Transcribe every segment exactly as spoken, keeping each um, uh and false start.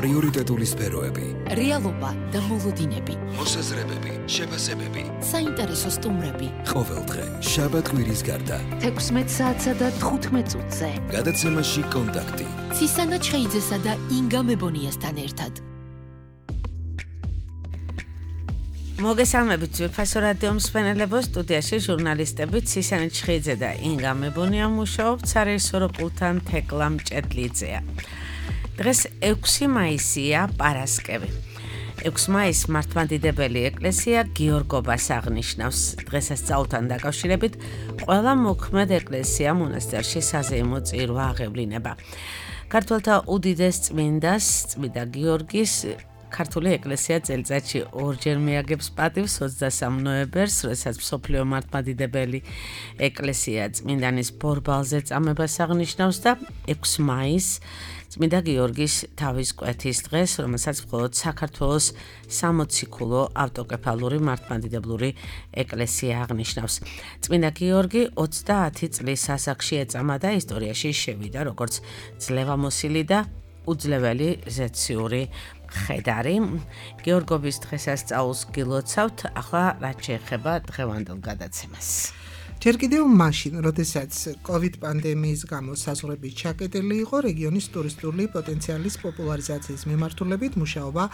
პრიორიტეტული სფეროები, რეალობა და მოლოდინები, მოსაზრებები, შეფასებები, საინტერესო სტუმრები. ყოველდღე შაბათ-კვირის გარდა თექვსმეტ საათსა და თხუთმეტ წუთზე. გადაცემაში კონტაქტი. ცისანა ჩხეიძესა და ინგა მებონიასთან ერთად. მოგესალმებით ძვირფასო რადიო მსმენელებო, სტუდიაში ჟურნალისტები ცისანა ჩხეიძე და ინგა მებონია მუშაობთ, სარეჟისორო პულტთან თეკლა მჭედლიძეა. დღეს ექვსი მაისია, პარასკევი. ექვსი მაისს მართლმადიდებელი ეკლესია გიორგობას აღნიშნავს. დღესასწაულთან დაკავშირებით ყველა მოქმედ ეკლესია მონასტერში საზეიმო წირვა აღევლინება. ქართველთა უდიდეს წმინდას, წმინდა გიორგის ქართული ეკლესია წელიწადში ორჯერ მიაგებს პატივს ოცდასამ ნოემბერს, როდესაც მსოფლიო მართლმადიდებელი ეკლესია წმინდანის ბორბალზე წამებას აღნიშნავს და ექვსი მაისს წმინდა გიორგის თავის კვეთის დღეს, რომელსაც მხოლოდ საქართველოს სამოციქულო ავტოკეფალური მართლმადიდებლური ეკლესია აღნიშნავს. წმინდა გიორგი ოცდაათი წლის ასაკში ეწამა და ისტორიაში შევიდა როგორც ძლევამოსილი და უძლეველი ზეციური ხედარი. გიორგობის დღესასწაულს გილოცავთ, ახლა რაც შეეხება დღევანდელ გადაცემას. ჯერ კიდევ მაშინ, როდესაც კოვიდ პანდემიის გამო საზღვრები ჩაკეტილი იყო, რეგიონის ტურისტული პოტენციალის პოპულარიზაციის მიმართულებით მუშაობა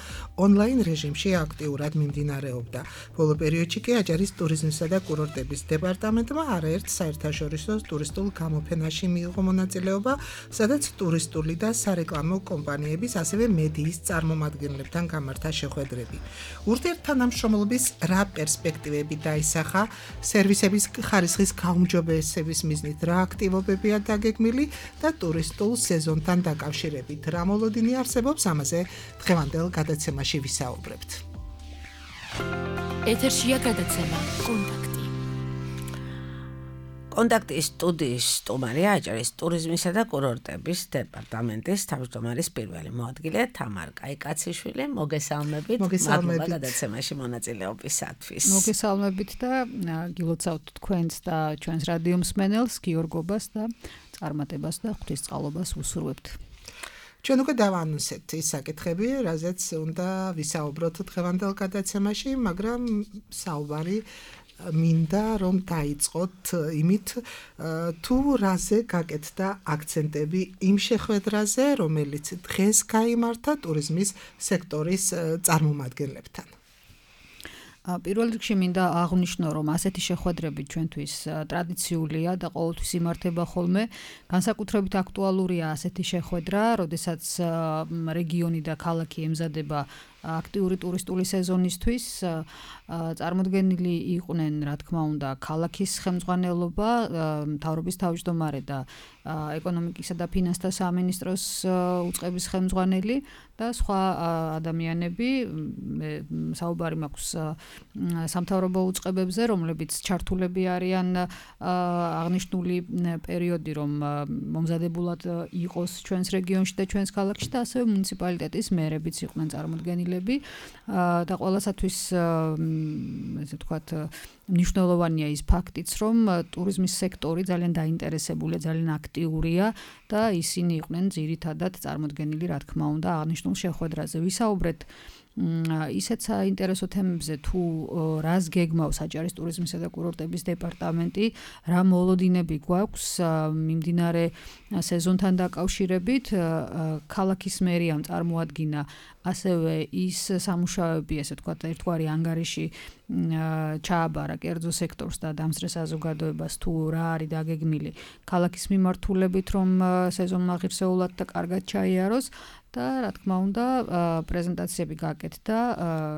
ონლაინ რეჟიმში აქტიურად მიმდინარეობდა. ბოლო პერიოდში კი აჭარის ტურიზმისა და კურორტების დეპარტამენტმა არაერთ საერთაშორისო ტურისტულ გამოფენაში მიიღო მონაწილეობა, სადაც ტურისტული და სარეკლამო კომპანიების, ასევე მედიის წარმომადგენლებთან გამართა შეხვედრები. ურთიერთთანამშრომლობის რა პერსპექტივები დაისახა, სერვისების ხარისხის გაუმჯობესების მიზნით რა აქტივობებია დაგეგმილი და ტურისტულ სეზონთან დაკავშირებით რა მოლოდინი არსებობს, ამაზე დღევანდელ გადაცემაში ვისაუბრებთ. ეთერშია გადაცემა კონტაქტი. კონტაქტის სტუდიის სტუმარია აჭარის ტურიზმისა და კურორტების დეპარტამენტის თავმჯდომარის პირველი მოადგილე თამარ კაიკაციშვილი. მოგესალმებით. მოგესალმებით. მადლობა გადაცემაში მონაწილეობისათვის. მოგესალმებით და გილოცავთ თქვენს და ჩვენს რადიო მსმენელს, გიორგობას და წარმატებას და ღვთისწყალობას ვუსურვებთ. ჩვენ უკვე დავანონსეთ ის საკითხები, რაზეც უნდა ვისაუბროთ დღევანდელ გადაცემაში, მაგრამ საუბარი მინდა რომ დაიწყოთ იმით, თუ რაზე გაკეთდა აქცენტები იმ შეხვედრაზე, რომელიც დღეს გაიმართა ტურიზმის სექტორის წარმომადგენლებთან. პირველ რიგში მინდა აღვნიშნო, რომ ასეთი შეხვედრები ჩვენთვის ტრადიციულია და ყოველთვის იმართება ხოლმე. განსაკუთრებით აქტუალურია ასეთი შეხვედრა, როდესაც რეგიონი და ქალაქი ემზადება აქტიური ტურისტული სეზონისთვის. წარმოდგენილი იყვნენ, რა თქმა უნდა, ქალაქის ხელმძღვანელობა, მთავრობის თავმჯდომარე და ეკონომიკისა და ფინანსთა სამინისტროს უწყების ხელმძღვანელი და სხვა ადამიანები. საუბარი მაქვს სამთავრობო უწყებებზე, რომლებიც ჩართულები არიან აღნიშნული პერიოდი, რომ მომზადებულად იყოს ჩვენს რეგიონში და ჩვენს ქალაქში და ასევე მუნიციპალიტეტის მერებიც იყვნენ წარმოდგენილები და ყველასათვის ესე ვთქვათ, მნიშვნელოვანია ის ფაქტიც, რომ ტურიზმის სექტორი ძალიან დაინტერესებულია, ძალიან აქტიურია და ისინი იყვნენ ძირითადად წარმოდგენილი, რა თქმა უნდა, აღნიშნულ შეხვედრაზე. ვისაუბრეთ ისეთ საინტერესო თემებზე, თუ რას გეგმავს აჭარის ტურიზმისა და კურორტების დეპარტამენტი, რა მოლოდინები გვაქვს მიმდინარე სეზონთან დაკავშირებით. ქალაქის მერიამ წარმოადგინა ასევე ის სამუშაოები, ესე ვთქვათ, ერთგვარი ანგარიში ჩააბარა კერძო სექტორს და დამსწრე საზოგადოებას, თუ რა არის დაგეგმილი ქალაქის მიმართულებით, რომ სეზონმა ღირსეულად და კარგად ჩაიაროს. და რა თქმა უნდა, პრეზენტაციები გაკეთდა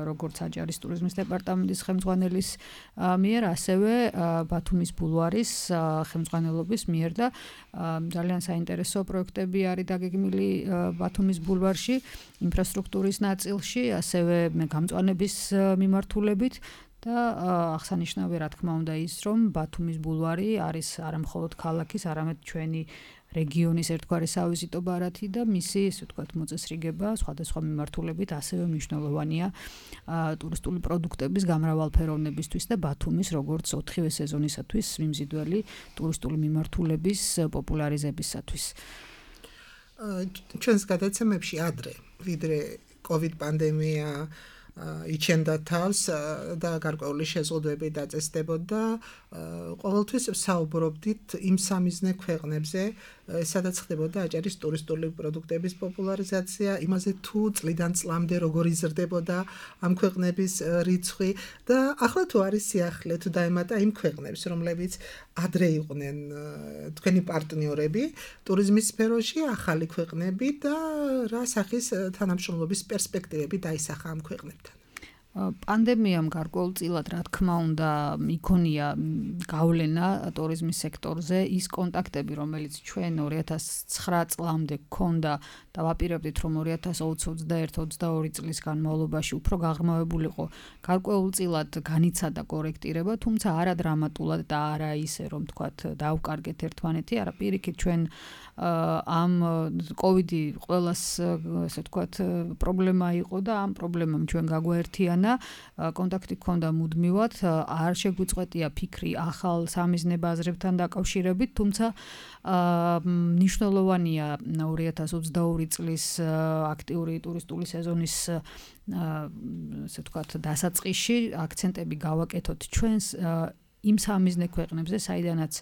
როგორც აჭარის ტურიზმის დეპარტამენტის ხელმძღვანელის მიერ, ასევე ბათუმის ბულვარის ხელმძღვანელობის მიერ და ძალიან საინტერესო პროექტები არის დაგეგმილი ბათუმის ბულვარში, ინფრასტრუქტურის ნაწილში, ასევე გამწვანების მიმართულებით. და აღსანიშნავია, რა თქმა უნდა, ის, რომ ბათუმის ბულვარი არის არა მხოლოდ ქალაქის, არამედ ჩვენი რეგიონის ერთგვარი სავიზიტო ბარათი და მისი, ესე ვთქვათ, მოწესრიგება სხვადასხვა მიმართულებით ასევე მნიშვნელოვანია ტურისტული პროდუქტების გამრავალფეროვნებისთვის და ბათუმის როგორც ოთხივე სეზონისათვის მიმზიდველი ტურისტული მიმართულების პოპულარიზებისათვის. ჩვენს გადაცემებში ადრე ვიდრე COVID პანდემია იჩენდა თავს და გარკვეული შეზღუდვები დაწესდებოდა. Ყოველთვის საუბრობდით იმ სამიზნე ქვეყნებზე, სადაც ხდებოდა აჭარის ტურისტული პროდუქტების პოპულარიზაცია, იმაზე თუ წლიდან წლამდე როგორ იზრდებოდა ამ ქვეყნების რიცხვი და ახლა თუ არის სიახლე თუ დაემატა იმ ქვეყნებს, რომლებიც ადრე იყვნენ თქვენი პარტნიორები ტურიზმის სფეროში, ახალი ქვეყნები და რა სახის თანამშრომლობის პერსპექტივები დაისახა ამ ქვეყნებთან. პანდემიამ გარკვეულწილად რა თქმა უნდა იქონია გავლენა ტურიზმის სექტორზე ის კონტაქტები რომელიც ჩვენ ორი ათას ცხრა წლამდე გქონდა და ვაპირებდით რომ ორი ათას ოცდაერთი ოცდაორი წლის განმავლობაში უფრო გაღრმავებულიყო გარკვეულწილად განიცადა კორექტირება თუმცა არა დრამატულად და არა ისე რომ თქვათ დავკარგეთ ერთმანეთი არა პირიქით ჩვენ ამ კოვიდი ყველას ესე თქვათ პრობლემა იყო და ამ პრობლემამ ჩვენ გაგვაერთიანა კონტაქტი გქონდა მუდმივად არ შეგვიწყვეტია ფიქრი ახალ სამიზნე ბაზრებთან დაკავშირებით თუმცა მნიშვნელოვანია ორი ათას ოცდაორი წლის აქტიური ტურისტული სეზონის ესე თქვათ დასაწყისში აქცენტები გავაკეთოთ ჩვენს იმ სამიზნე ქვეყნებზე, საიდანაც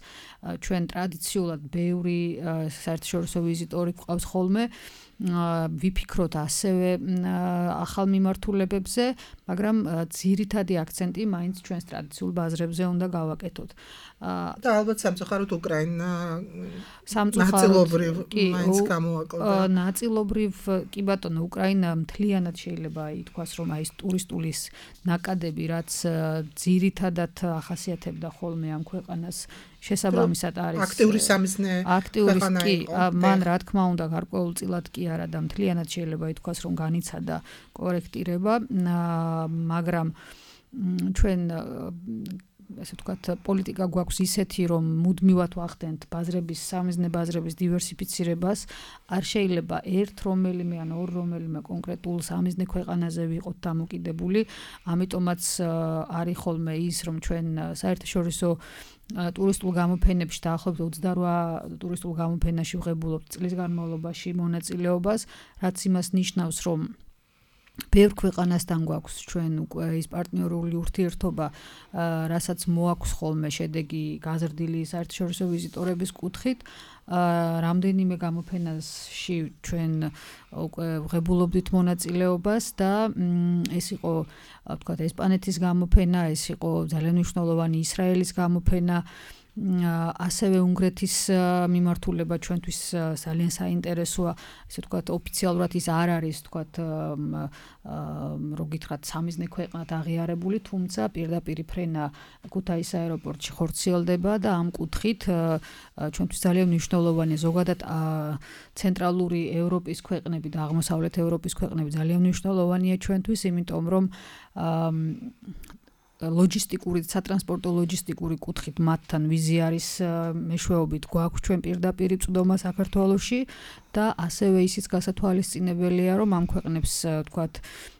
ჩვენ ტრადიციულად ბევრი საერთაშორისო ვიზიტორი გვყავს ხოლმე, ვიფიქროთ ასევე ახალ მიმართულებებზე, მაგრამ ძირითადი აქცენტი მაინც ჩვენს ტრადიციულ ბაზრებზე უნდა გავაკეთოთ. და ალბათ სამწუხაროდ უკრაინა ნაწილობრივ მაინც გამოაკლდა. ნაწილობრივ კი ბატონო, უკრაინა მთლიანად შეიძლება ითქვას, რომ აი ეს ტურისტულის ნაკადები, რაც ძირითადად ახასიათებდა ხოლმე ამ ქვეყანას შესაბამისად არის აქტიური სამიზნე აქტიური კი მან რა თქმა უნდა გარკვეულწილად კი არა და მთლიანად შეიძლება ითქვას რომ განიცადა კორექტირება მაგრამ ჩვენ ესე ვთქვათ პოლიტიკა გვაქვს ისეთი რომ მუდმივად ვახდენთ ბაზრების სამიზნე ბაზრების დივერსიფიცირებას არ შეიძლება ერთ რომელიმე ან ორ რომელიმე კონკრეტულ სამიზნე ქვეყანაზე ვიყოთ დამოკიდებული ამიტომაც არის ხოლმე ის რომ ჩვენ საერთაშორისო ტურისტულ გამოფენებში დაახლოებით ოცდარვა ტურისტულ გამოფენაში ვღებულობთ წლის განმავლობაში მონაწილეობას რაც იმას ნიშნავს რომ ბევრ ქვეყანასთან გვაქვს ჩვენ უკვე ის პარტნიორული ურთიერთობა, რასაც მოაქვს ხოლმე შედეგი გაზრდილი საერთაშორისო ვიზიტორების კუთხით. რამდენიმე გამოფენაში ჩვენ უკვე ვღებულობდით მონაწილეობას და ეს იყო ვთქვათ ესპანეთის გამოფენა, ეს იყო ძალიან მნიშვნელოვანი ისრაელის გამოფენა. ასევე უნგრეთის მიმართულება ჩვენთვის ძალიან საინტერესოა, ესე ვთქვათ, ოფიციალურად ის არ არის, ვთქვათ, რო გითხრათ, სამიზნე ქვეყნად აღიარებული, თუმცა პირდაპირ ფრენა ქუთაისის აეროპორტში ხორციელდება და ამ კუთხით ჩვენთვის ძალიან მნიშვნელოვანია ზოგადად ცენტრალური ევროპის ქვეყნები და აღმოსავლეთ ევროპის ქვეყნები ძალიან მნიშვნელოვანია ჩვენთვის, იმიტომ რომ ლოჯისტიკური, სატრანსპორტო ლოჯისტიკური კუთხით მათთან ვიზი არის მეშვეობით გვაქვს ჩვენ პირდაპირ წვდომა საქართველოში და ასევე ისიც გასათვალისწინებელია, რომ ამ ქვეყნებს, ვთქვათ,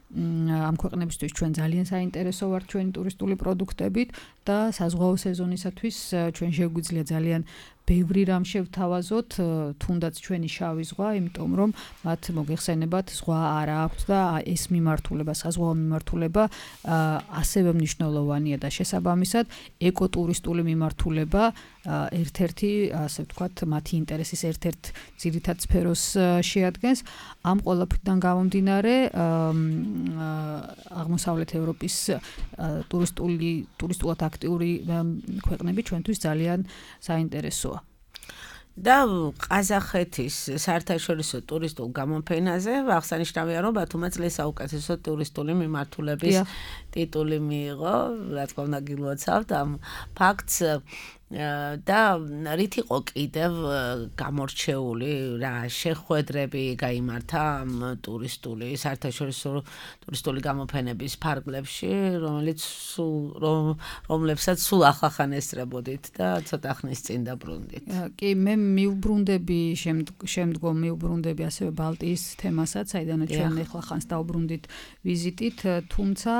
ამ ქვეყნებისთვის ჩვენ ძალიან საინტერესო ვართ ჩვენი ტურისტული პროდუქტებით და საზღვაო სეზონისათვის ჩვენ შეგვიძლია ძალიან ბევრი რამ შევთავაზოთ, თუნდაც ჩვენი შავი ზღვა, იმიტომ რომ მათ მოგეხსენებათ ზღვა არ აქვთ და ეს მიმართულება, საზღვაო მიმართულება ასევე მნიშვნელოვანია და შესაბამისად ეკოტურისტული მიმართულება ერთ-ერთი, ასე ვთქვათ, მათი ინტერესის ერთ-ერთ ძირითად სფეროს შეადგენს. ამ ყველაფრიდან გამომდინარე, აღმოსავლეთ ევროპის ტურისტული ტურისტულად აქტიური ქვეყნები ჩვენთვის ძალიან საინტერესოა. და ყაზახეთის საერთაშორისო ტურისტულ გამოფენაზე აღსანიშნავია რომ ბათუმმა წლის საუკეთესო ტურისტული მიმართულების ტიტული მიიღო, რა თქმა უნდა გილოცავთ ამ ფაქტს და რით იყო კიდევ გამორჩეული რა შეხვედრები გაიმართა ამ ტურისტული საერთაშორისო ტურისტული გამოფენების ფარგლებში, რომელიც რომლებსაც სულ ახახან ესწრებოდით და ცოტა ხნის წინ დაბრუნდით. კი, მე მივბრუნდები შემდგომ მივბრუნდები ასევე ბალტიის თემასაც, საიდანაც ჩვენ ახლა ხანს დავბრუნდით ვიზიტით, თუმცა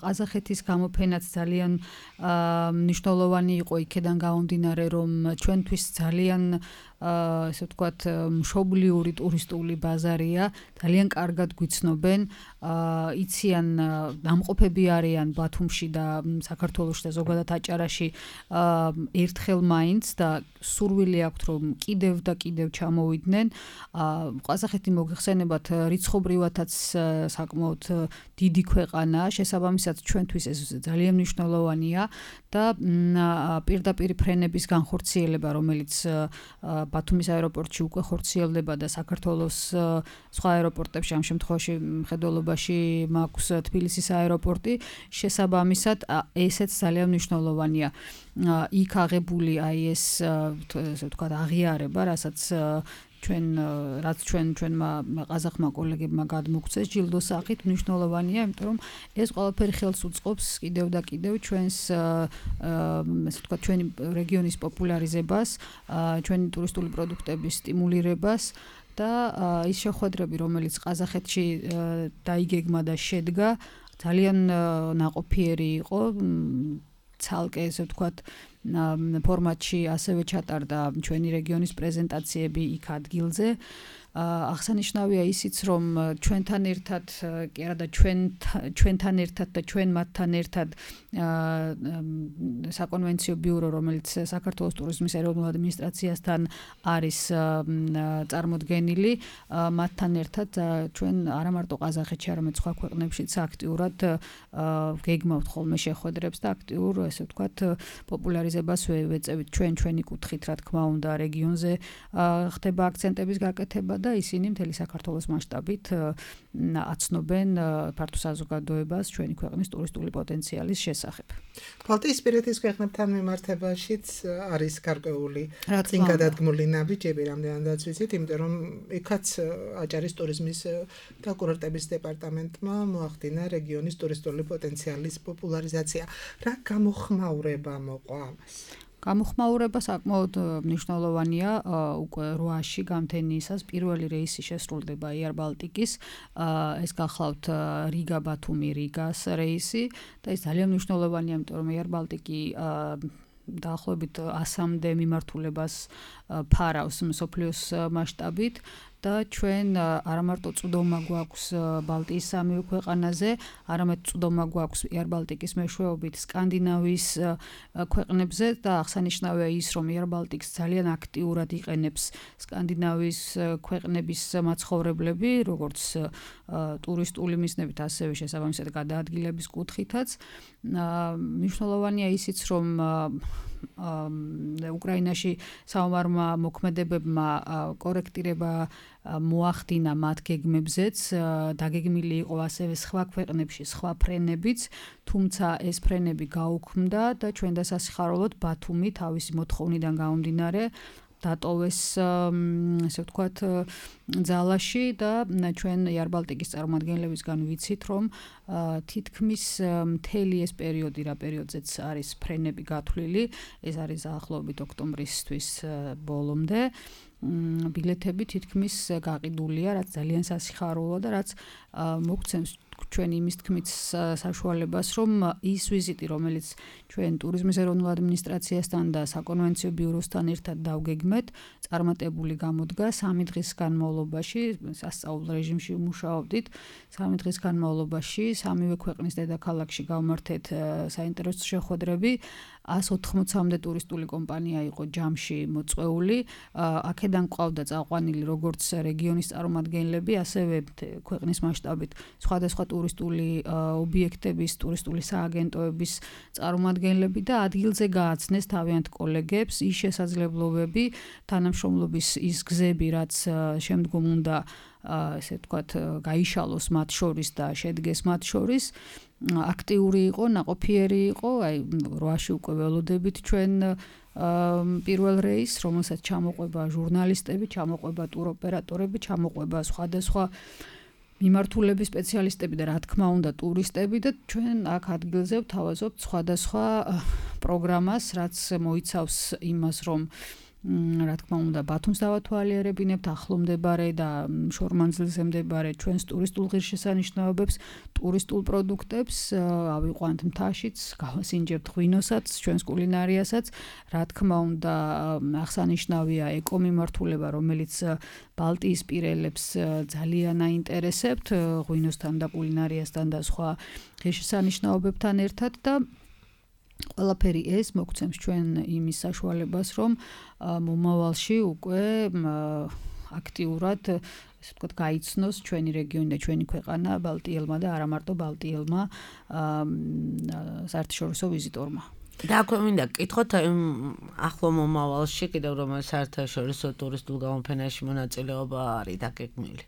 ყაზახეთის გამოფენაც ძალიან მნიშვნელოვანი იყო იქედან გამომდინარე, რომ ჩვენთვის ძალიან ესე ვთქვათ, მშობლიური ტურისტული ბაზარია, ძალიან კარგად გვიცნობენ, იციან, დამყოფები არიან ბათუმში და საქართველოში და ზოგადად აჭარაში ერთხელ მაინც და სურვილი აქვთ, რომ კიდევ და კიდევ ჩამოვიდნენ. ყაზახეთი მოგეხსენებათ, რიცხობრივათაც საკმაოდ დიდი ქვეყანაა, შესაბამისად ჩვენთვის ეს ძალიან მნიშვნელოვანია და პირდაპირ ფრენების განხორციელება, რომელიც ბათუმის აეროპორტში უკვე ხორციელდება და საქართველოს სხვა აეროპორტებში, ამ შემთხვევაში მხედველობაში მაქვს თბილისის აეროპორტი, შესაბამისად ესეც ძალიან მნიშვნელოვანია. იქ აღებული აი ეს ესე ვთქვათ აღიარება, რასაც ჩვენ რაც ჩვენ ჩვენმა ყაზახმა კოლეგებმა გადმოგცეს ჯილდოს სახით, მნიშვნელოვანია, იმიტომ რომ ეს ყველაფერი ხელს უწყობს კიდევ და კიდევ ჩვენს ესე ვთქვათ ჩვენი რეგიონის პოპულარიზებას, ჩვენი ტურისტული პროდუქტების სტიმულირებას და ის შეხვედრები, რომელიც ყაზახეთში დაიგეგმა და შედგა, ძალიან ნაყოფიერი იყო, ცალკე ესე ვთქვათ ფორმატში ასევე ჩატარდა ჩვენი რეგიონის პრეზენტაციები იქ ადგილზე. აღსანიშნავია ისიც, რომ ჩვენთან ერთად, კი არა და ჩვენ ჩვენთან ერთად და ჩვენ მათთან ერთად საკონვენციო ბიურო, რომელიც საქართველოს ტურიზმის ეროვნულ ადმინისტრაციასთან არის წარმოდგენილი, მათთან ერთად ჩვენ არა მარტო ყაზახეთში, არამედ სხვა ქვეყნებშიც აქტიურად გეგმავთ ხოლმე შეხვედრებს და აქტიურ, ესე ვთქვათ, პოპულარიზებას ვეწევით ჩვენ ჩვენი კუთხით, რა თქმა უნდა, რეგიონზე ხდება აქცენტების გაკეთება და ისინი მთელი საქართველოს მასშტაბით აცნობენ ფართო საზოგადოებას ჩვენი ქვეყნის ტურისტული პოტენციალის შესახებ. ბალტიისპირეთის ქვეყნებთან მიმართებაშიც არის გარკვეული წინგადადგმული ნაბიჯები, რამდენადაც ვიცით, იმიტომ რომ იქაც აჭარის ტურიზმის და კურორტების დეპარტამენტმა მოახდინა რეგიონის ტურისტული პოტენციალის პოპულარიზაცია. რა გამოხმაურება მოყვა ამას? გამოხმაურება საკმაოდ მნიშვნელოვანია, უკვე რვაში გამთენიისას პირველი რეისი შესრულდება Air Baltic-ის, ეს გახლავთ რიგა ბათუმი რიგას რეისი და ეს ძალიან მნიშვნელოვანია, იმიტომ რომ Air Baltic-ი დაახლოებით ასამდე მიმართულებას ფარავს მსოფლიოს მასშტაბით და ჩვენ არა მარტო წვდომა გვაქვს ბალტიის სამივე ქვეყანაზე, არამედ წვდომა გვაქვს Air Baltic-ის მეშვეობით სკანდინავიის ქვეყნებზე და აღსანიშნავია ის, რომ Air Baltic-ს ძალიან აქტიურად იყენებს სკანდინავიის ქვეყნების მაცხოვრებლები, როგორც ტურისტული მიზნებით, ასევე შესაბამისად გადაადგილების კუთხითაც. მნიშვნელოვანია ისიც, რომ უკრაინაში საომარმა მოქმედებებმა კორექტირება მოახდინა მათ გეგმებზეც, დაგეგმილი იყო ასევე სხვა ქვეყნებში სხვა ფრენებიც, თუმცა ეს ფრენები გაუქმდა და ჩვენ დასასიხაროვლოდ ბათუმი თავისი მოთხოვნიდან გამომდინარე დატოვეს, ესე ვთქვათ, ძალაში და ჩვენ Air Baltic-ის წარმომადგენლებისგან ვიცით, რომ თითქმის მთელი ეს პერიოდი, რა პერიოდზეც არის ფრენები გათვლილი, ეს არის დაახლოებით ოქტომბრისთვის ბოლომდე. ბილეთები თითქმის გაყიდულია, რაც ძალიან სასიხარულოა და რაც მოგცემს ჩვენ იმის თქმით საშუალებას, რომ ის ვიზიტი, რომელიც ჩვენ ტურიზმის ეროვნულ ადმინისტრაციასთან და საკონვენციო ბიუროსთან ერთად დავგეგმეთ, წარმატებული გამოდგა სამი დღის განმავლობაში, სასწავლო რეჟიმში ვმუშაობდით, სამი დღის განმავლობაში სამივე ქვეყნის დედაქალაქში გავმართეთ საინტერესო შეხვედრები, ას ოთხმოცამდე ტურისტული კომპანია იყო ჯამში მოწვეული, აქედან ყავდა წაყვანილი როგორც რეგიონის წარმომადგენლები, ასევე ქვეყნის მასშტაბით სხვადასხვა ტურისტული ობიექტების, ტურისტული სააგენტოების წარმომადგენლები და ადგილზე გააცნეს თავიანთ კოლეგებს ის შესაძლებლობები, თანამშრომლობის ის გზები, რაც შემდგომ უნდა ესე ვთქვათ, გაიშალოს მათ შორის და შედგეს მათ შორის, აქტიური იყო, ნაყოფიერი იყო, აი რვაში უკვე ველოდებით ჩვენ პირველ რეისს, რომელსაც ჩამოყვება ჟურნალისტები, ჩამოყვება ტუროპერატორები, ჩამოყვება სხვადასხვა მიმართულების სპეციალისტები და რა თქმა უნდა ტურისტები და ჩვენ აქ ადგილზე ვთავაზობთ სხვადასხვა პროგრამას, რაც მოიცავს იმას, რომ რა თქმა უნდა, ბათუმს დავათვალიერებინებთ, ახლო მდებარე და შორმანძილზე მდებარე ჩვენს ტურისტულ ღირსშესანიშნაობებს, ტურისტულ პროდუქტებს, ავიყვანთ მთაშიც, გავასინჯებთ ღვინოსაც, ჩვენს კულინარიასაც. რა თქმა უნდა, აღსანიშნავია ეკომიმართულება, რომელიც ბალტიისპირელებს ძალიან აინტერესებთ, ღვინოსთან და კულინარიასთან და სხვა ღირსშესანიშნაობებთან ერთად და ყველაფერი ეს მოგცემს ჩვენ იმის საშუალებას, რომ მომავალში უკვე აქტიურად, ესე ვთქვათ, გაიცნოს ჩვენი რეგიონი და ჩვენი ქვეყანა ბალტიელმა და არა მარტო ბალტიელმა საერთაშორისო ვიზიტორმა. და აქვე მინდა გკითხოთ ახლო მომავალში კიდევ რომ საერთაშორისო ტურისტულ გამოფენაში მონაწილეობა არის დაგეგმილი.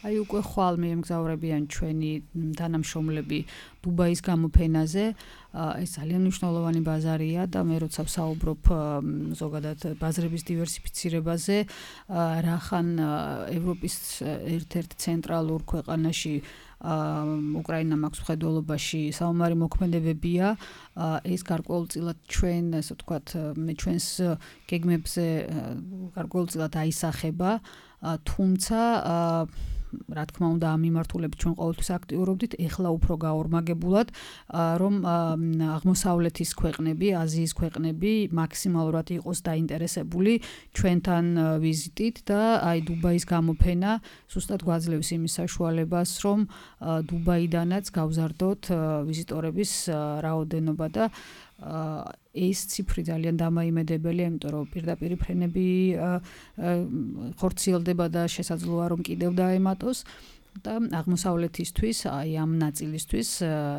აი უკვე ხვალ მიემგზავრებიან ჩვენი თანამშრომლები დუბაის გამოფენაზე. ეს ძალიან მნიშვნელოვანი ბაზარია და მე როცა ვსაუბრობ ზოგადად ბაზრების დივერსიფიცირებაზე, რახან ევროპის ერთ-ერთ ცენტრალურ ქვეყანაში უკრაინა მაქვს მხედველობაში საომარი მოქმედებებია, ეს გარკვეულწილად ჩვენ, ასე ვთქვათ, მე ჩვენს გეგმებზე გარკვეულწილად აისახება, თუმცა რა თქმა უნდა ამ მიმართულებით ჩვენ ყოველთვის აქტიურობდით, ეხლა უფრო გაორმაგებულად, რომ აღმოსავლეთის ქვეყნები, აზიის ქვეყნები მაქსიმალურად იყოს დაინტერესებული ჩვენთან ვიზიტით და აი დუბაის გამოფენა ზუსტად გვაძლევს იმის საშუალებას, რომ დუბაიდანაც გავზარდოთ ვიზიტორების რაოდენობა და ეს ციფრი ძალიან დამაიმედებელია, იმიტომ რომ პირდაპირ ფრენები ხორციელდება და შესაძლოა რომ კიდევ დაემატოს და აღმოსავლეთისთვის, აი ამ ნაწილისთვის,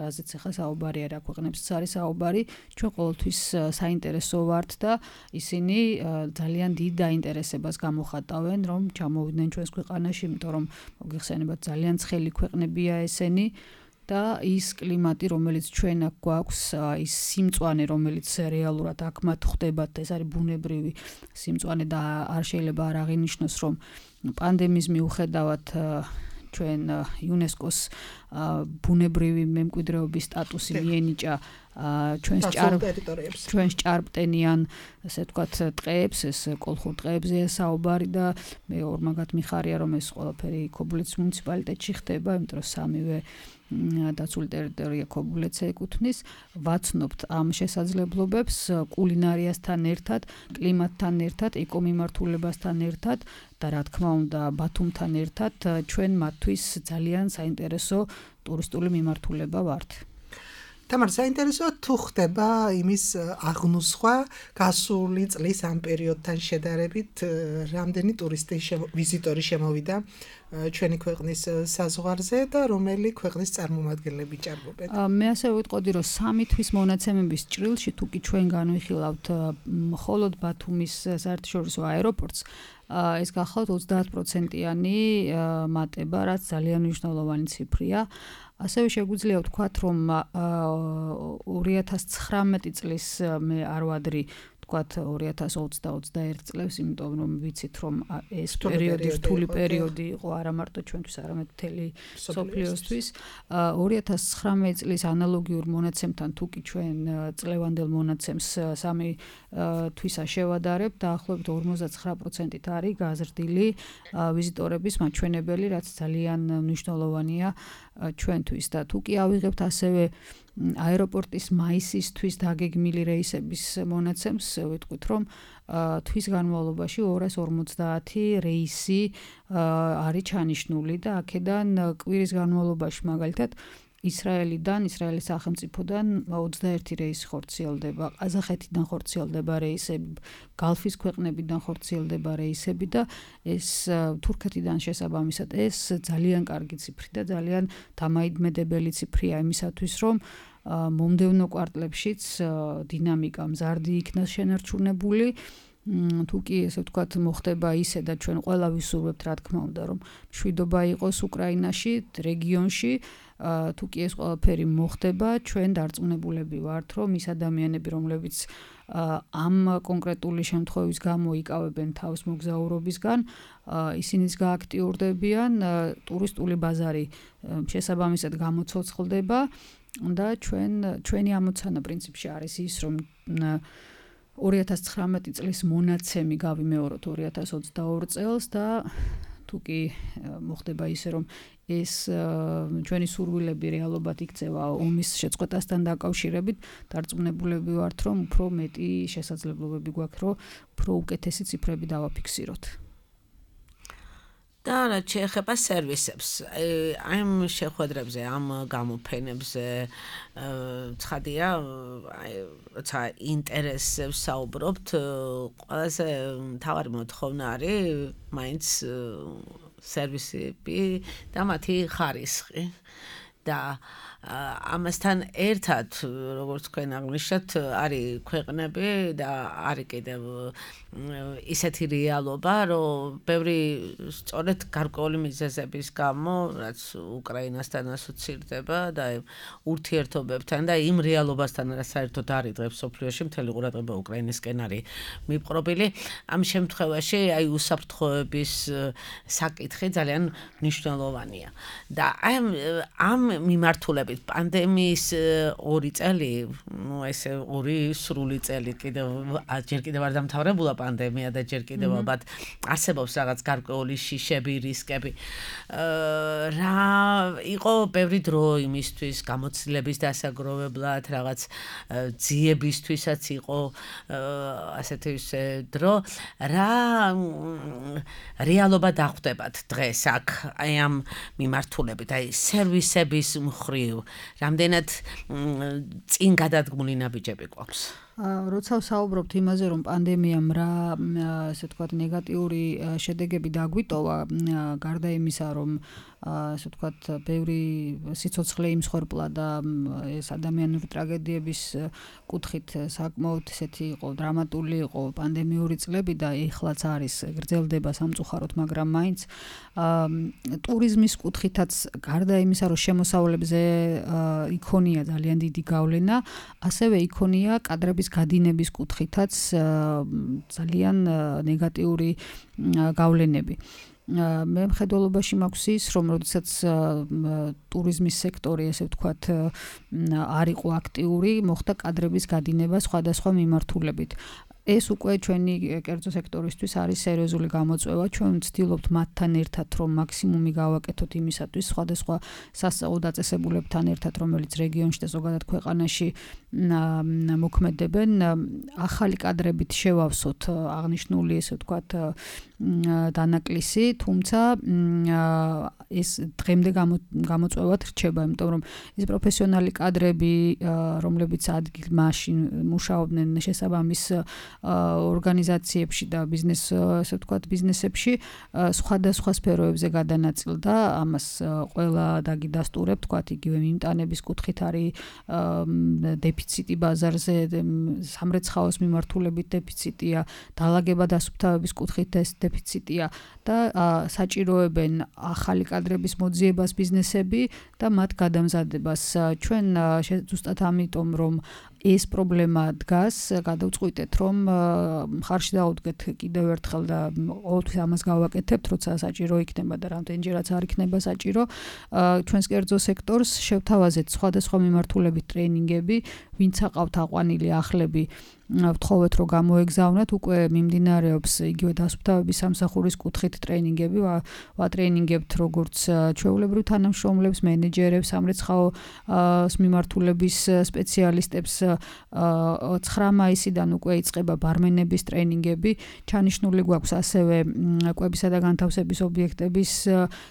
რაზეც ახლა საუბარია, რა ქვეყნებსაც არის საუბარი, ჩვენ ყოველთვის საინტერესო ვართ და ისინი ძალიან დიდ დაინტერესებას გამოხატავენ, რომ ჩამოვიდნენ ჩვენს ქვეყანაში, იმიტომ რომ მოგიხსენებათ ძალიან ცხელი ქვეყნებია ესენი. და ის კლიმატი, რომელიც ჩვენ აქ გვაქვს, ის სიმწვანე, რომელიც რეალურად აქ მათ ხდებათ, ეს არის ბუნებრივი სიმწვანე და არ შეიძლება არ აღინიშნოს, რომ პანდემიის მიუხედავად ჩვენ იუნესკოს ბუნებრივი მემკვიდრეობის სტატუსი მიენიჭა ჩვენს ტერიტორიებს, ჩვენს ჭარბტენიან, ასე ვთქვათ, ტყეებს, ეს კოლხურ ტყეებზეა საუბარი და მე ორმაგად მიხარია, რომ ეს ყველაფერი ქობულეთის მუნიციპალიტეტში ხდება, იმიტომ რომ სამივე დაცული ტერიტორია ქობულეთს ეკუთვნის. ვაცნობთ ამ შესაძლებლობებს კულინარიასთან ერთად, კლიმატთან ერთად, ეკომიმართულებასთან ერთად და რა თქმა უნდა ბათუმთან ერთად ჩვენ მათთვის ძალიან საინტერესო ტურისტული მიმართულება ვართ. თამარ, საინტერესოა თუ ხდება იმის აღნუსხვა გასული წლის ამ პერიოდთან შედარებით, რამდენი ტურისტი ვიზიტორი შემოვიდა ჩვენი ქვეყნის საზღვარზე და რომელი ქვეყნის წარმომადგენლები ჭარბობენ? მე ასე ვიტყოდი, რომ სამი თვის მონაცემების ჭრილში თუ კი ჩვენ განვიხილავთ მხოლოდ ბათუმის საერთაშორისო აეროპორტს, ეს გახლავთ ოცდაათ პროცენტიანი მატება, რაც ძალიან მნიშვნელოვანი ციფრია. ასევე შეგვიძლია ვთქვათ, რომ ორი ათას ცხრამეტი წლის მე არ ვადრი ვთქვათ ორი ათას ოცდა-ოცდაერთი წლებს, იმიტომ რომ ვიცით, რომ ეს პერიოდი რთული პერიოდი იყო არა მარტო ჩვენთვის, არამედ მთელი მსოფლიოსთვის. ორი ათას ცხრამეტი წლის ანალოგიურ მონაცემთან თუ კი ჩვენ წლევანდელ მონაცემს სამი თვისა შევადარებთ, დაახლოებით ორმოცდაცხრა პროცენტით არის გაზრდილი ვიზიტორების მაჩვენებელი, რაც ძალიან მნიშვნელოვანია ჩვენთვის და თუ კი ავიღებთ ასევე აეროპორტის მაისისთვის დაგეგმილი რეისების მონაცემს, ვიტყვით, რომ თვის განმავლობაში ორას ორმოცდაათი რეისი არის ჩანიშნული და აქედან კვირის განმავლობაში მაგალითად ისრაელიდან, ისრაელის სახელმწიფოდან ოცდაერთი რეისი ხორციელდება, ყაზახეთიდან ხორციელდება რეისები, გალფის ქვეყნებიდან ხორციელდება რეისები და ეს თურქეთიდან შესაბამისად ეს ძალიან კარგი ციფრი და ძალიან დამაიმედებელი ციფრია იმისათვის, რომ მომდევნო კვარტლებშიც დინამიკა მზარდი იქნას შენარჩუნებული. თუ კი ესე ვთქვათ მოხდება ისე და ჩვენ ყველა ვისურვებთ, რა თქმა უნდა, რომ მშვიდობა იყოს უკრაინაში, რეგიონში, თუ კი ეს ყველაფერი მოხდება, ჩვენ დარწმუნებულები ვართ, რომ ის ადამიანები, რომლებიც ამ კონკრეტული შემთხვევის გამო იკავებენ თავს მოგზაურობისგან, ისინიც გააქტიურდებიან, ტურისტული ბაზარი შესაბამისად გამოცოცხლდება და ჩვენ ჩვენი ამოცანა პრინციპში არის ის, რომ ორი ათას ცხრამეტი წლის მონაცემი გავიმეოროთ ორი ათას ოცდაორი წელს და თუ კი მოხდება ისე რომ ეს ჩვენი სურვილები რეალობად იქცევა ომის შეწყვეტასთან დაკავშირებით, დარწმუნებულები ვართ, რომ უფრო მეტი შესაძლებლობები გვაქვს, რომ უფრო უკეთესი ციფრები დავაფიქსიროთ. და რა შეეხება სერვისებს, აი ამ შეხვედრებზე, ამ გამოფენებზე ცხადია, აი როცა ინტერესებს საუბრობთ, ყველაზე მთავარი მოთხოვნა არის მაინც სერვისები და მათი ხარისხი და ამასთან ერთად, როგორც თქვენ აღნიშნეთ, არის ქვეყნები და არის კიდევ ისეთი რეალობა, რომ ბევრი სწორედ გარკვეული მიზეზების გამო, რაც უკრაინასთან ასოცირდება და ურთიერთობებთან და იმ რეალობასთან, რაც საერთოდ არის დღეს სოფლიოში, მთელი ყურადღება უკრაინისკენ არის მიპყრობილი. ამ შემთხვევაში აი უსაფრთხოების საკითხი ძალიან მნიშვნელოვანია. და აი ამ მიმართულებით პანდემიის ორი წელი, ну ესე ორი სრული წელი კიდევ ჯერ კიდევ არ დამთავრებულა პანდემია და ჯერ კიდევ ალბათ არსებობს რაღაც გარკვეული შიშები, რისკები. რა იყო ბევრი დრო იმისთვის გამოცდილების დასაგროვებლად, რაღაც ძიებისთვისაც იყო ასეთი დრო. რა რეალობა დახვდებათ დღეს აქ აი ამ მიმართულებით, აი სერვისების მხრივ რამდენად წინ გადადგმული ნაბიჯები გვაქვს? როცა ვსაუბრობთ იმაზე, რომ პანდემიამ რა ასე ვთქვათ ნეგატიური შედეგები დაგვიტოვა, გარდა იმისა, რომ ასე ვთქვათ ბევრი სიცოცხლე იმსხვერპლა და ეს ადამიანური ტრაგედიების კუთხით საკმაოდ ესეთი იყო, დრამატული იყო პანდემიური წლები და ეხლაც არის გრძელდება სამწუხაროდ, მაგრამ მაინც ტურიზმის კუთხითაც გარდა იმისა, რომ შემოსავლებზე იქონია ძალიან დიდი გავლენა, ასევე იქონია კადრების გადინების კუთხითაც ძალიან ნეგატიური გავლენები. მე მხედველობაში მაქვს ის, რომ როდესაც ტურიზმის სექტორი, ესე ვთქვათ, არ იყო აქტიური, მოხდა კადრების გადინება სხვადასხვა მიმართულებით. ეს უკვე ჩვენი კერძო სექტორისთვის არის სერიოზული გამოწვევა. ჩვენ ვცდილობთ მათთან ერთად, რომ მაქსიმუმი გავაკეთოთ იმისათვის, სხვადასხვა სასწავლო დაწესებულებთან ერთად, რომელიც რეგიონში და ზოგადად ქვეყანაში მოქმედებენ, ახალი კადრებით შევავსოთ აღნიშნული, ესე ვთქვათ, დანაკლისი, თუმცა ეს დღემდე გამოწვევად რჩება, იმიტომ რომ ეს პროფესიონალი კადრები, რომლებიც ადგილმაში მუშაობდნენ შესაბამის ორგანიზაციებში და ბიზნეს, ასე ვთქვათ, ბიზნესებში სხვადასხვა სფეროებზე გადანაწილდა. ამას ყველა დაგიდასტურებ, ვთქვათ, იგივე მიმტანების კუთხით არის დეფიციტი ბაზარზე, სამრეცხაოს მიმართულებით დეფიციტია, დალაგება დასუფთავების კუთხით ეს დეფიციტია და საჭიროებენ ახალი კადრების მოძიებას ბიზნესები და მათ გადამზადებას. ჩვენ ზუსტად ამიტომ, რომ ეს პრობლემა დგას, გადავწყვიტეთ, რომ მხარში დაუდგეთ კიდევ ერთხელ და ყოველთვის ამას გავაკეთებთ, როცა საჭირო იქნება და რამდენჯერაც არ იქნება საჭირო, ჩვენს კერძო სექტორს შევთავაზეთ სხვადასხვა მიმართულებით ტრეინინგები, ვინც აყავთ აყვანილი ახლები, ვთხოვეთ, რომ გამოეგზავნათ, უკვე მიმდინარეობს იგივე დასუფთავების სამსახურის კუთხით ტრეინინგები, ვატრეინინგებთ როგორც ჩვეულებრივ თანამშრომლებს, მენეჯერებს, სამრეცხაოს მიმართულების სპეციალისტებს. ცხრა მაისიდან უკვე იწყება ბარმენების ტრეინინგები, ჩანიშნული გვაქვს ასევე კვებისა და განთავსების ობიექტების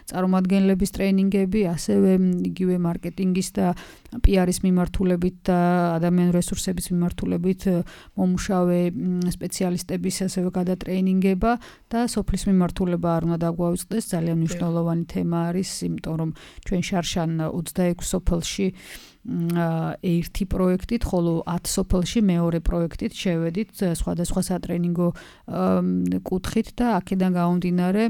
წარმომადგენლების ტრეინინგები, ასევე იგივე მარკეტინგის და პი-არის მიმართულებით და ადამიანური რესურსების მიმართულებით მომუშავე სპეციალისტების ასევე გადატრეინინგება და სოფლის მიმართულება არ უნდა დაგვაუწყდეს, ძალიან მნიშვნელოვანი თემა არის, იმიტომ რომ ჩვენ შარშან ოცდაექვსი სოფელში ერთი პროექტით, ხოლო ათ სოფელში მეორე პროექტით შევედით სხვადასხვა სატრენინგო კუთხით და აქედან გამომდინარე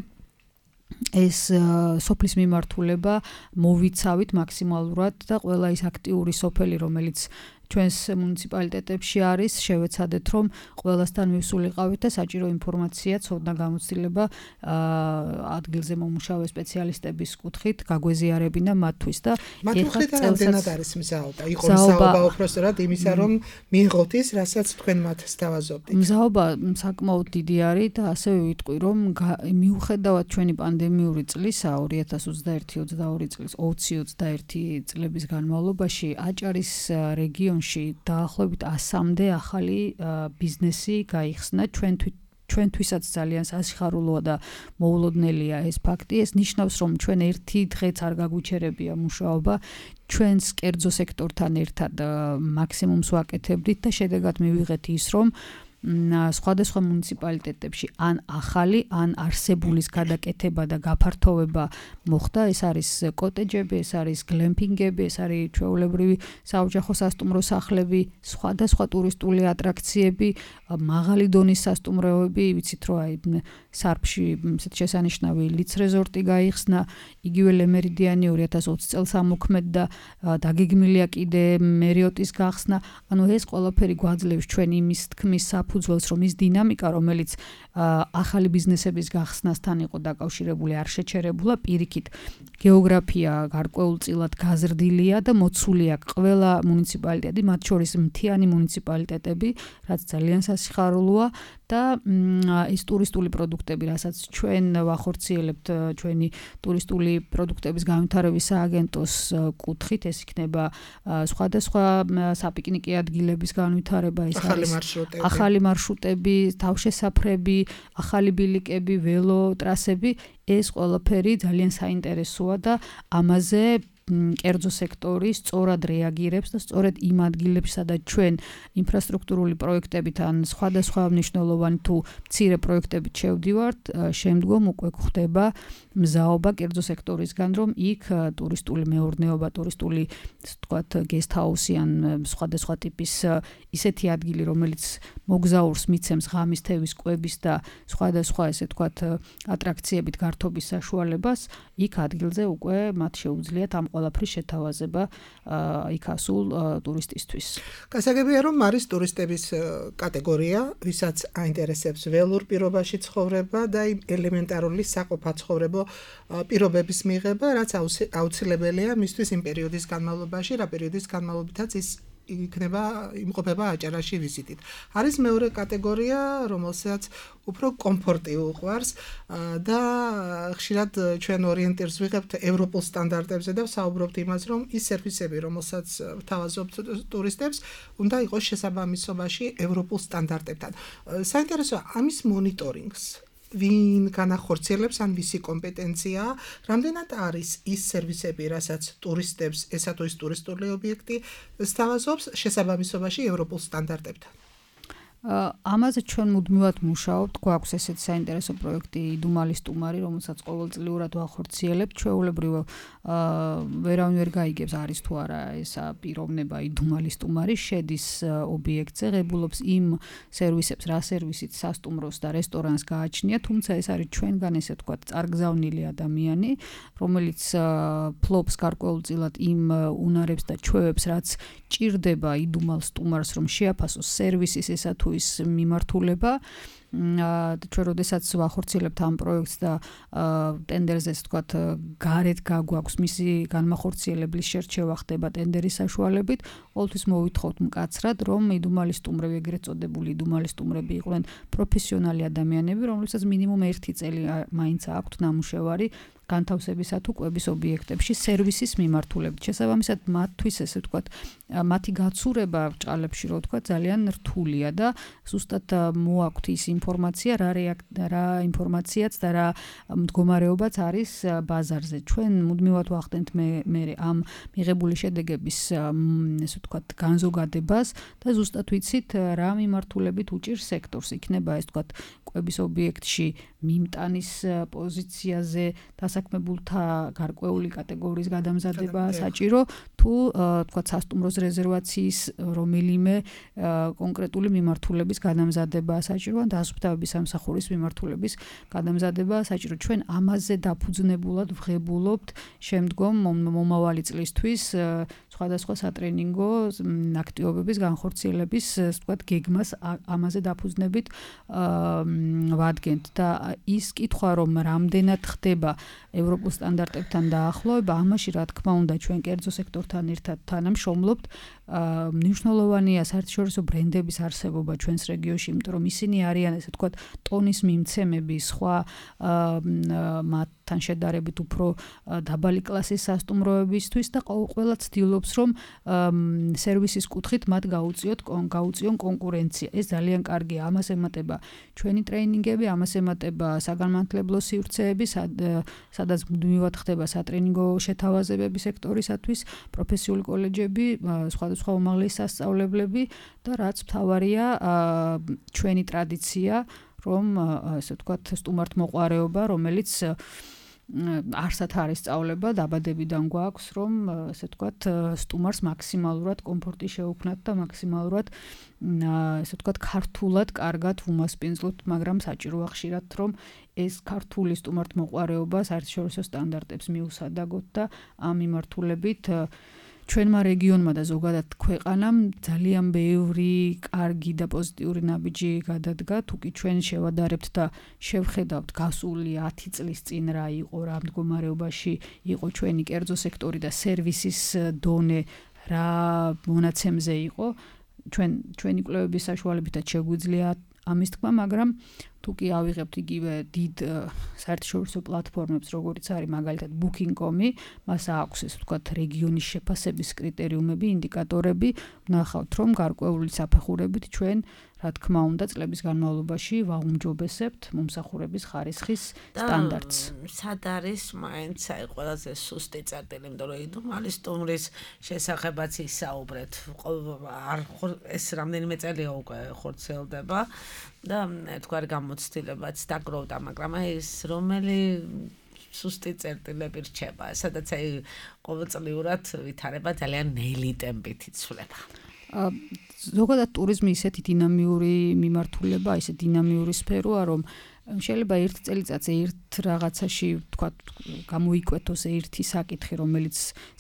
ეს სოფლის მიმართულება მოვიცავით მაქსიმალურად და ყველა ის აქტიური სოფელი, რომელიც ჩვენს მუნიციპალიტეტებში არის, შევეცადეთ, რომ ყველასთან მივსულიყავით და საჭირო ინფორმაცია, ცოდნა გამოცდილება ადგილზე მომუშავე სპეციალისტების კუთხით გაგვეზიარებინა მათთვის და ეხლა წელსაც არის მზაობა. იყო მზაობა უпростоრად იმისა, რომ მიიღოთ ის, რასაც თქვენ მათ სთავაზობთ. მზაობა საკმაოდ დიდი არის და ასევე ვიტყვი, რომ მიუხედავად ჩვენი პანდემიური წლისა ორი ათას ოცდაერთი ოცდაორი წლის ოცი ოცდაერთი წლების განმავლობაში აჭარის რეგიონში დაახლოებით ასამდე ახალი ბიზნესი გაიხსნა ჩვენთვის ჩვენთვისაც ძალიან სასიხარულოა და მოულოდნელია ეს ფაქტი. ეს ნიშნავს, რომ ჩვენ ერთი დღეც არ გაგვიჩერებია მუშაობა, ჩვენს კერძო სექტორთან ერთად მაქსიმუმს ვაკეთებდით და შედეგად მივიღეთ ის, რომ სხვადასხვა მუნიციპალიტეტებში ან ახალი, ან არსებულის გადაკეთება და გაფართოვება მოხდა. ეს არის კოტეჯები, ეს არის გლემპინგები, ეს არის ჩვეულებრივი საოჯახო სასტუმრო სახლები, სხვადასხვა ტურისტული ატრაქციები, მაღალი დონის სასტუმროები, ვიცით რომ აი სარფში ესეთ შესანიშნავი ლიც რეზორტი გაიხსნა, იგივე ლემერიდიანი ორი ათას ოცი წელს ამოქმედ და დაგეგმილია კიდე მერიოტის გახსნა. ანუ ეს ყველაფერი გვაძლევს ჩვენ იმის თქმის საფუძველს, რომ ის დინამიკა, რომელიც ახალი ბიზნესების გახსნასთან იყო დაკავშირებული, არ შეჩერებულა, პირიქით გეოგრაფია გარკვეულწილად გაზრდილია და მოცულია ყველა მუნიციპალიტეტი, მათ შორის მთიანი მუნიციპალიტეტები, რაც ძალიან სასიხარულოა და ეს ტურისტული პროდუქტები, რასაც ჩვენ ვახორციელებთ ჩვენი ტურისტული პროდუქტების განვითარების სააგენტოს კუთხით, ეს იქნება სხვადასხვა საპიკნიკე ადგილების განვითარება, ეს არის ახალი მარშრუტები, თავშესაფრები, ახალი ბილიკები, ველო ტრასები, ეს ყველაფერი ძალიან საინტერესოა და ამაზე კერძო სექტორი სწორად რეაგირებს და სწორედ იმ ადგილებში, სადაც ჩვენ ინფრასტრუქტურული პროექტებით ან სხვადასხვა მნიშვნელოვანი თუ მცირე პროექტებით შევდივართ, შემდგომ უკვე გვხდება მზაობა კერძო სექტორისგან, რომ იქ ტურისტული მეურნეობა, ტურისტული, ასე ვთქვათ, გესტჰაუსი ან სხვადასხვა ტიპის ისეთი ადგილი, რომელიც მოგზაურს მიცემს ღამის, თევის, კვების და სხვადასხვა, ესე ვთქვათ, ატრაქციებით გართობის საშუალებას, იქ ადგილზე უკვე მათ შეუძლიათ ამ ყველაფრის შეთავაზება იქ ასულ ტურისტისთვის. გასაგებია, რომ არის ტურისტების კატეგორია, ვისაც აინტერესებს ველურ პირობაში ცხოვრება და იმ ელემენტარული საყოფაცხოვრებო პირობების მიღება, რაც აუცილებელია მისთვის იმ პერიოდის განმავლობაში, რა პერიოდის განმავლობითაც ის იქნება იმყოფება აჭარაში ვიზიტით. არის მეორე კატეგორია, რომელსაც უფრო კომფორტი უყვარს და ხშირად ჩვენ ორიენტირს ვიღებთ ევროპულ სტანდარტებზე და ვსაუბრობთ იმას, რომ ის სერვისები, რომელსაც ვთავაზობთ ტურისტებს, უნდა იყოს შესაბამისობაში ევროპულ სტანდარტებთან. საინტერესოა ამის მონიტორინგს ვინ განახორციელებს ან ვისი კომპეტენციაა, რამდენად არის ის სერვისები, რასაც ტურისტებს ესა თუ ის ტურისტული ობიექტი სთავაზობს შესაბამისობაში ევროპულ სტანდარტებთან. ამაზე ჩვენ მუდმივად მუშაობთ, გვაქვს ესეთ საინტერესო პროექტი იდუმალი სტუმარი, რომელსაც ყოველწლიურად ვახორციელებთ, ჩვეულებრივ ვერავინ ვერ გაიგებს არის თუ არა ესა პიროვნება იდუმალი სტუმარი, შედის ობიექტზე, ღებულობს იმ სერვისებს, რა სერვისით სასტუმროს და რესტორანს გააჩნია, თუმცა ეს არის ჩვენგან ესე ვთქვათ წარგზავნილი ადამიანი, რომელიც ფლობს გარკვეულწილად იმ უნარებს და ჩვევებს, რაც ჭირდება იდუმალ სტუმარს, რომ შეაფასოს სერვისის ესა თუ ის მიმართულება. ჩვენ როდესაც ვახორციელებთ ამ პროექტს და ტენდერზე, ასე ვთქვათ, გარეთ გაგვაქვს მისი განმახორციელების შერჩევა ხდება ტენდერის საშუალებით, ყოველთვის მოვითხოვთ მკაცრად, რომ იდუმალი სტუმრები, ეგრეთ წოდებული იდუმალი სტუმრები იყვნენ პროფესიონალი ადამიანები, რომლებსაც მინიმუმ ერთი წელი მაინც აქვთ ნამუშევარი განთავსებისა თუ კვების ობიექტებში სერვისის მიმართულებით. შესაბამისად, მათთვის ესე ვთქვათ, მათი გაცურება ბრჭყალებში, რო ვთქვათ, ძალიან რთულია და ზუსტად მოაქვთ ის ინფორმაცია, რა რა ინფორმაციაც და რა მდგომარეობაც არის ბაზარზე. ჩვენ მუდმივად ვახდენთ მე მე ამ მიღებული შედეგების ესე ვთქვათ, განზოგადებას და ზუსტად ვიცით რა მიმართულებით უჭირს სექტორს. იქნება ეს ვთქვათ, კვების ობიექტში მიმტანის პოზიციაზე დასაქმებულთა გარკვეული კატეგორიის გადამზადება საჭირო თუ თქვათ სასტუმროს რეზერვაციის რომელიმე კონკრეტული მიმართულების გადამზადება საჭირო ან დასუფთავების სამსახურის მიმართულების გადამზადება საჭირო. ჩვენ ამაზე დაფუძნებულად ვღებულობთ შემდგომ მომავალი წლისთვის სხვადასხვა სატრენინგო აქტივობების განხორციელების, ასე ვთქვათ, გეგმას ამაზე დაფუძნებით ვადგენთ და ის კითხვა, რომ რამდენად ხდება ევროპულ სტანდარტებთან დაახლოება, ამაში რა თქმა უნდა ჩვენ კერძო სექტორთან ერთად თანამშრომლობთ. მნიშვნელოვანია საერთაშორისო ბრენდების არსებობა ჩვენს რეგიონში, იმიტომ რომ ისინი არიან, ასე ვთქვათ, ტონის მიმცემები სხვა მათთან შედარებით უფრო დაბალი კლასის სასტუმროებისთვის და ყველა ცდილობს, რომ სერვისის კუთხით მათ გაუწიოთ გაუწიონ კონკურენცია. ეს ძალიან კარგია, ამას ემატება ჩვენი ტრეინინგები, ამას ემატება საგანმანათლებლო სივრცეები, სადაც მუდმივად ხდება სატრენინგო შეთავაზებები სექტორისათვის, პროფესიული კოლეჯები, სხვადასხვა უმაღლესი სასწავლებლები და რაც მთავარია, ჩვენი ტრადიცია, რომ ასე ვთქვათ, სტუმართმოყვარეობა, რომელიც არსად არის სწავლება, დაბადებიდან გვაქვს, რომ ასე ვთქვათ, სტუმარს მაქსიმალურად კომფორტი შეუქმნათ და მაქსიმალურად ასე ვთქვათ, ქართულად კარგად ვუმასპინძლოთ, მაგრამ საჭიროა ხშირად, რომ ეს ქართული სტუმართმოყვარეობა საერთაშორისო სტანდარტებს მიუსადაგოთ და ამ მიმართულებით ჩვენმა რეგიონმა და ზოგადად ქვეყანამ ძალიან ბევრი კარგი და პოზიტიური ნაბიჯი გადადგა, თუკი ჩვენ შევადარებთ და შევხედავთ გასული ათი წლის წინ რა იყო, რა მდგომარეობაში იყო ჩვენი კერძო სექტორი და სერვისის დონე რა მონაცემზე იყო, ჩვენ ჩვენი კვლევების საშუალებითაც შეგვიძლია ამის თქმა, მაგრამ თუკი ავიღებთ იგივე დიდ საერთაშორისო პლატფორმებს, როგორც არის მაგალითად booking dot com, მას აქვს ეს ვთქვათ რეგიონის შეფასების კრიტერიუმები, ინდიკატორები, ვნახავთ, რომ გარკვეული საფეხურებით ჩვენ რა თქმა უნდა წლების განმავლობაში ვაუმჯობესებთ მომსახურების ხარისხის სტანდარტს. სად არის მაინც აი ყველაზე სუსტი წერტილი, იმიტომ რომ იდუმალი სტუმრის შესახებაც ისაუბრეთ. არ ეს რამდენიმე წელია უკვე ხორციელდება და თქვარი გამოცდილებაც დაგროვდა, მაგრამ აი ეს რომელი სუსტი წერტილები რჩება, სადაც აი ყოველწლიურად ვითარება ძალიან ნელი ტემპით იცვლება. ზოგადად ტურიზმი ისეთი დინამიური მიმართულება, ისე დინამიური სფეროა, რომ შეიძლება ერთ წელიწადზე ერთ რაღაცაში, თქვათ, გამოიკვეთოს ერთი საკითხი, რომელიც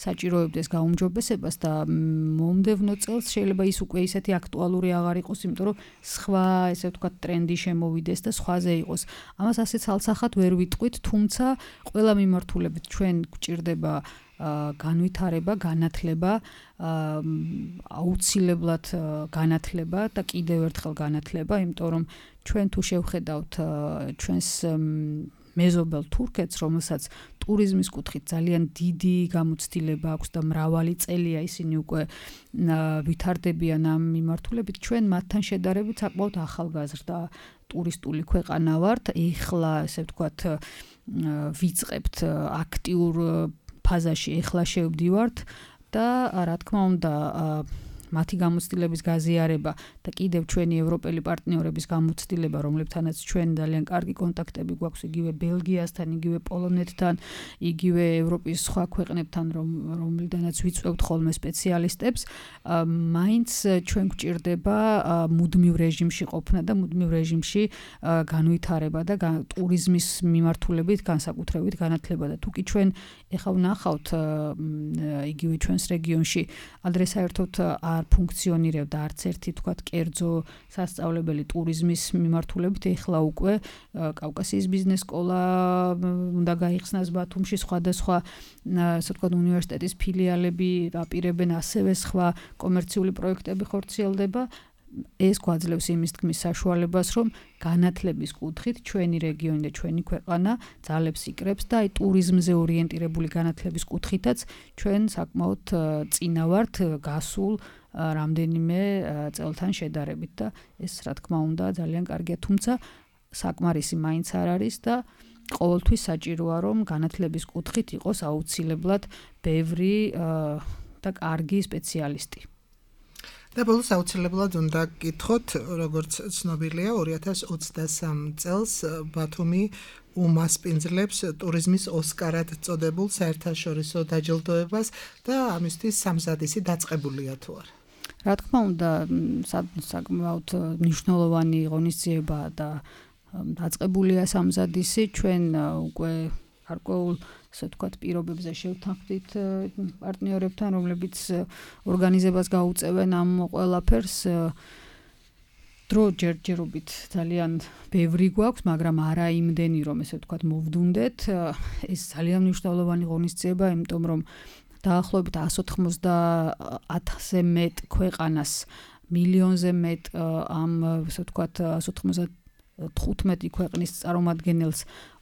საჭიროებდეს გაუმჯობესებას და მომდევნო წელს შეიძლება ის უკვე ისეთი აქტუალური აღარ იყოს, იმიტომ რომ სხვა, ესე ვთქვათ, ტრენდი შემოვიდეს და სხვაზე იყოს. ამას ასე ცალსახად ვერ ვიტყვით, თუმცა ყველა მიმართულებით ჩვენ გვჭირდება განვითარება, განათლება, აუცილებლად განათლება და კიდევ ერთხელ განათლება, იმიტომ რომ ჩვენ თუ შევხედავთ ჩვენს მეზობელ თურქეთს, რომელსაც ტურიზმის კუთხით ძალიან დიდი გამოცდილება აქვს და მრავალი წელია ისინი უკვე ვითარდებიან ამ მიმართულებით, ჩვენ მათთან შედარებით საკმაოდ ახალგაზრდა ტურისტული ქვეყანა ვართ. ეხლა, ესე ვთქვათ, ვიწყებთ აქტიურ ფაზაში, ეხლა შევდივართ და რა თქმა უნდა მათი გამოცდილების გაზიარება და კიდევ ჩვენი ევროპელი პარტნიორების გამოცდილება, რომლებთანაც ჩვენ ძალიან კარგი კონტაქტები გვაქვს იგივე ბელგიასთან, იგივე პოლონეთთან, იგივე ევროპის სხვა ქვეყნებთან, რომლიდანაც ვიწვევთ ხოლმე სპეციალისტებს, მაინც ჩვენ გვჭირდება მუდმივ რეჟიმში ყოფნა და მუდმივ რეჟიმში განვითარება და ტურიზმის მიმართულებით განსაკუთრებით განათლება და თუკი ჩვენ ეხლა ვნახავთ იგივე ჩვენს რეგიონში ადრე საერთოდ არ ფუნქციონირებდა არც ერთი თქვათ კერძო სასწავლებელი ტურიზმის მიმართულებით, ეხლა უკვე კავკასიის ბიზნეს სკოლა უნდა გაიხსნას ბათუმში, სხვადასხვა ასე ვთქვათ უნივერსიტეტის ფილიალები აპირებენ, ასევე სხვა კომერციული პროექტები ხორციელდება. ეს გვაძლევს იმის თქმის საშუალებას, რომ განათლების კუთხით ჩვენი რეგიონი და ჩვენი ქვეყანა ძალებს იკრებს და აი ტურიზმზე ორიენტირებული განათლების კუთხითაც ჩვენ საკმაოდ წინა ვართ გასულ რამდენიმე წელთან შედარებით და ეს რა თქმა უნდა ძალიან კარგია, თუმცა საკმარისი მაინც არ არის და ყოველთვის საჭიროა, რომ განათლების კუთხით იყოს აუცილებლად ბევრი და კარგი სპეციალისტი. და ბოლოს აუცილებლად უნდა გკითხოთ, როგორც ცნობილია, ორი ათას ოცდასამ წელს ბათუმი უმასპინძლებს ტურიზმის ოსკარად წოდებულ საერთაშორისო დაჯილდოებას და ამისთვის სამზადისი დაწყებულია თუ არა? რა თქმა უნდა, საკმაოდ მნიშვნელოვანი ღონისძიებაა და დაწყებულია სამზადისი. ჩვენ უკვე გარკვეულ, ასე ვთქვათ, პირობებზე შევთანხმდით პარტნიორებთან, რომლებიც ორგანიზებას გაუწევენ ამ ყველაფერს. დრო ჯერჯერობით ძალიან ბევრი გვაქვს, მაგრამ არა იმდენი, რომ ესე ვთქვათ, მოვდუნდეთ. ეს ძალიან მნიშვნელოვანი ღონისძიება, იმიტომ რომ დაახლოებით εκατს ოთხმოცდაათზე მეტ ქვეყანას, მილიონზე მეტ ამ, ასე ვთქვათ, εκατს ოთხმოცდათხუთმეტი ქვეყნის წარმომადგენელს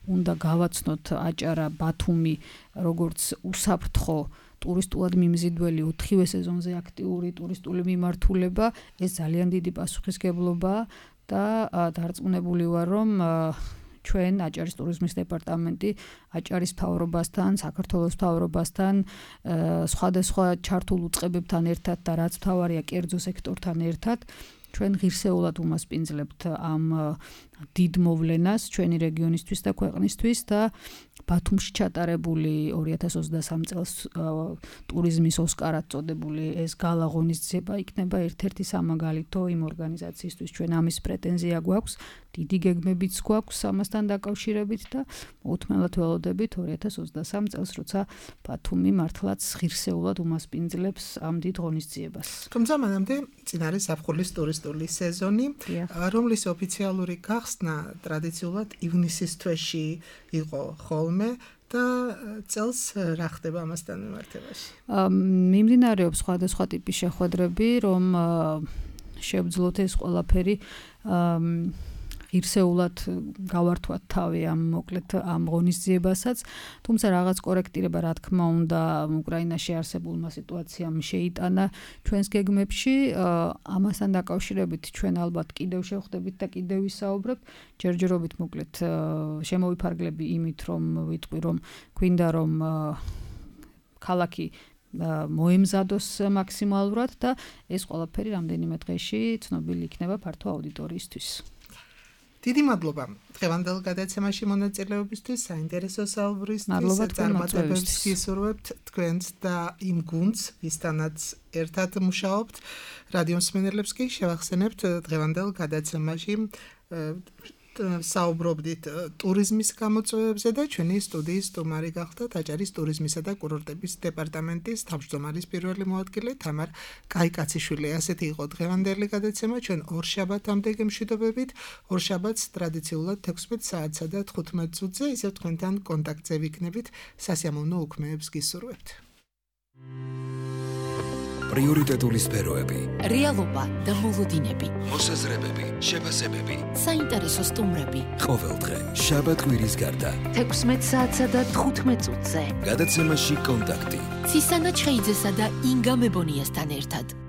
უნდა გავაცნოთ აჭარა, ბათუმი, როგორც უსაფრთხო ტურისტულად მიმზიდველი ოთხივე სეზონზე აქტიური ტურისტული მიმართულება. ეს ძალიან დიდი პასუხისმგებლობაა და დარწმუნებული ვარ, რომ ჩვენ აჭარის ტურიზმის დეპარტამენტი აჭარის მთავრობასთან, საქართველოს მთავრობასთან, სხვადასხვა ჩართულ უწყებებთან ერთად და რაც მთავარია კერძო სექტორთან ერთად ჩვენ ღირსეულად უმასპინძლებთ ამ დიდ მოვლენას ჩვენი რეგიონისთვის და ქვეყნისთვის და ბათუმში ჩატარებული ორი ათას ოცდასამი წელს ტურიზმის ოსკარად წოდებული ეს გალა ღონისძიება იქნება ერთ-ერთი სამაგალითო იმ ორგანიზაციისთვის. ჩვენ ამის პრეტენზია გვაქვს, დიდი გეგმებიც გვაქვს ამასთან დაკავშირებით და მოუთმენლად ველოდებით ორი ათას ოცდასამი წელს, როცა ბათუმი მართლაც ღირსეულად უმასპინძლებს ამ დიდ ღონისძიებას. თუმცა მანამდე წინ არის ზაფხულის ტურისტული სეზონი, რომლის ოფიციალური გახსნა ტრადიციულად ივნისის თვეში იყო ხოლმე და წელს რა ხდება ამასთან მიმართებაში? მიმდინარეობს სხვადასხვა ტიპის შეხვედრები, რომ შევძლოთ ეს ყველაფერი ღირსეულად გავართვათ თავი ამ მოკლედ ამ ღონისძიებასაც, თუმცა რაღაც კორექტირება რა თქმა უნდა უკრაინაში არსებულმა სიტუაციამ შეიტანა ჩვენს გეგმებში. ამასთან დაკავშირებით ჩვენ ალბათ კიდევ შევხვდებით და კიდევ ვისაუბრებთ. ჯერჯერობით მოკლედ შემოვიფარგლები იმით, რომ ვიტყვი, რომ გვინდა რომ ქალაქი მოემზადოს მაქსიმალურად და ეს ყველაფერი რამდენიმე დღეში ცნობილი იქნება ფართო აუდიტორიისთვის. დიდი მადლობა დღევანდელ გადაცემაში მონაწილეობისთვის, საინტერესო საუბრისთვის, წარმატებებს გისურვებთ თქვენს და იმ გუნდს, ვისთანაც ერთად მუშაობთ. რადიო მსმენელებს კი შევახსენებთ დღევანდელ გადაცემაში საუბრობდით ტურიზმის გამოწვევებზე და ჩვენი სტუდიის სტუმარი გახდათ აჭარის ტურიზმისა და კურორტების დეპარტამენტის თავმჯდომარის პირველი მოადგილე თამარ კაიკაციშვილი. ასეთი იყო დღევანდელი გადაცემა. ჩვენ ორშაბათამდე გემშვიდობებით. ორშაბათს ტრადიციულად თექვსმეტ საათსა და თხუთმეტ წუთზე ისევ თქვენთან კონტაქტზე ვიქნებით. სასიამოვნო უქმეებს გისურვებთ. პრიორიტეტული სფეროები, რეალობა და მოლოდინები, მოსაზრებები, შეფასებები, საინტერესო სტუმრები. ყოველდღე შაბათ კვირის გარდა თექვსმეტ საათსა და თხუთმეტ წუთზე გადაცემაში კონტაქტი ცისანა ჩხეიძესა და ინგა მებონიასთან ერთად.